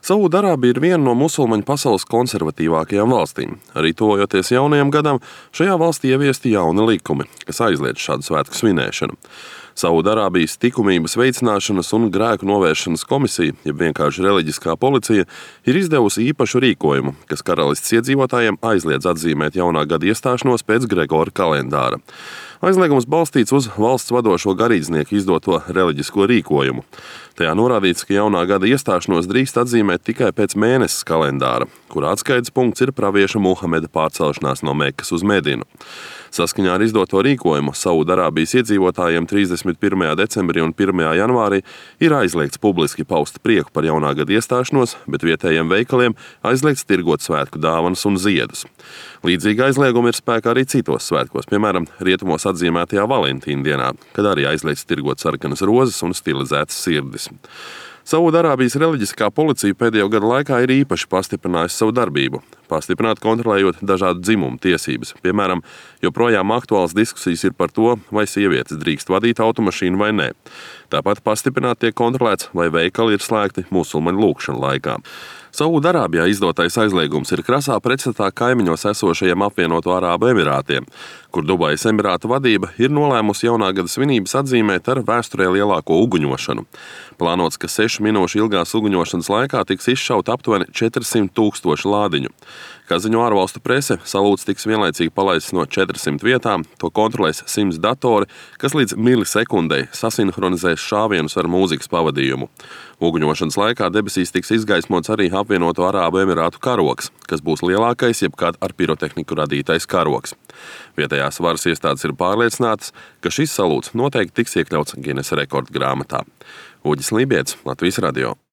Saūdarābija ir viena no musulmaņu pasaules konservatīvākajām valstīm. Arī tuvojoties jaunajam gadam, šajā valstī ieviesti jauni likumi, kas aizliedz šādu svētku svinēšanu. Saūdarābijas likumības veicināšanas un grēku novēršanas komisija, jeb vienkārši reliģiskā policija, ir izdevusi īpašu rīkojumu, kas karalistes iedzīvotājiem aizliedz atzīmēt jaunā gada iestāšanos pēc Gregora kalendāra. Aizliegums balstīts uz valsts vadošo garīdznieku izdoto reliģisko rīkojumu. Tajā norādīts, ka jaunā gada iestāšanos drīkst atzīmēt tikai pēc mēneses kalendāra, kura atskaites punkts ir pravieša Muhameda pārcelšanās no Mekas uz Medinu. Saskaņā ar izdoto rīkojumu Saūdarābijas iedzīvotājiem 31. decembrī un 1. janvārī ir aizliegts publiski paust prieku par jaunā gada iestāšanos, bet vietējiem veikaliem aizliegts tirgot svētku dāvanas un ziedus. Līdzīgi aizliegumi ir spēkā arī citos svētkos, piemēram, rietumos atzīmētajā Valentīna dienā, kad arī aizliegts tirgot sarkanas rozes un stilizētas sirdis. Saūdarābijas reliģiskā policija pēdējo gadu laikā ir īpaši pastiprinājusi savu darbību, pastiprināt kontrolējot dažādu dzimumu tiesības. Piemēram, joprojām aktuāls diskusijas ir par to, vai sievietes drīkst vadīt automašīnu vai nē. Tāpat pastiprināti tiek kontrolēts, vai veikali ir slēgti musulmaņu lūgšanu laikā. Saūdarābijā izdotais aizliegums ir krasā pretstatā kaimiņos esošajiem Apvienoto Arābu Emirātiem, kur Dubajas Emirātu vadība ir nolēmusi jaunā gada svinības atzīmēt ar vēsturē lielāko uguņošanu. Plānots, ka 6 minūšu ilgās uguņošanas laikā tiks izšauta aptuveni 400,000 lādiņu. Kā ziņo ārvalstu prese, salūts tiks vienlaicīgi palaists no 400 vietām, to kontrolēs 100 datori, kas līdz milisekundei sasinhronizēs šāvienus ar mūzikas pavadījumu. Uguņošanas laikā debesīs tiks izgaismots arī Apvienoto Arābu Emirātu karogs, kas būs lielākais jebkad ar pirotehniku radītais karogs. Vietējās varas iestādes ir pārliecinātas, ka šis salūts noteikti tiks iekļauts Ginesa rekordu grāmatā. Uģis Lībietis, Latvijas radio.